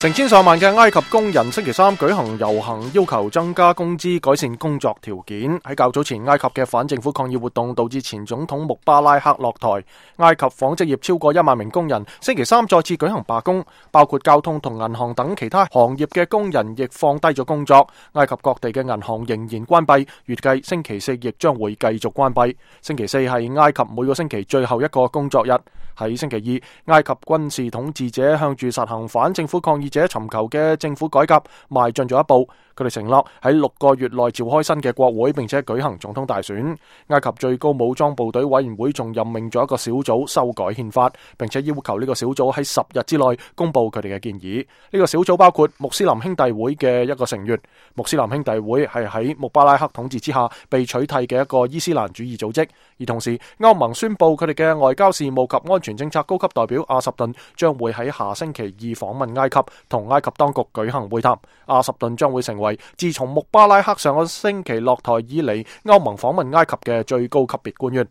成千上萬嘅埃及工人星期三舉行遊行，要求增加工資、改善工作條件。喺較早前，埃及嘅反政府抗議活動導致前總統穆巴拉克落台。埃及紡織業超過1萬名工人星期三再次舉行罷工，包括交通同銀行等其他行業嘅工人亦放低咗工作。埃及各地嘅銀行仍然關閉，預計星期四亦將會繼續關閉。星期四係埃及每個星期最後一個工作日。喺星期二，埃及軍事統治者向住實行反政府抗議者尋求嘅政府改革邁進咗一步。佢哋承諾喺6個月內召開新嘅國會，並且舉行總統大選。埃及最高武裝部隊委員會仲任命咗一個小組修改憲法，並且要求呢個小組喺10日之內公布佢哋嘅建議。呢個小組包括穆斯林兄弟會嘅一個成員。穆斯林兄弟會係喺穆巴拉克統治之下被取締嘅一個伊斯蘭主義組織。而同時，歐盟宣布佢哋嘅外交事務及安全政策高級代表阿什頓將會喺下星期二訪問埃及，同埃及當局舉行會談。阿什頓將會成為自從穆巴拉克上個星期落台以嚟歐盟訪問埃及嘅最高級別官員。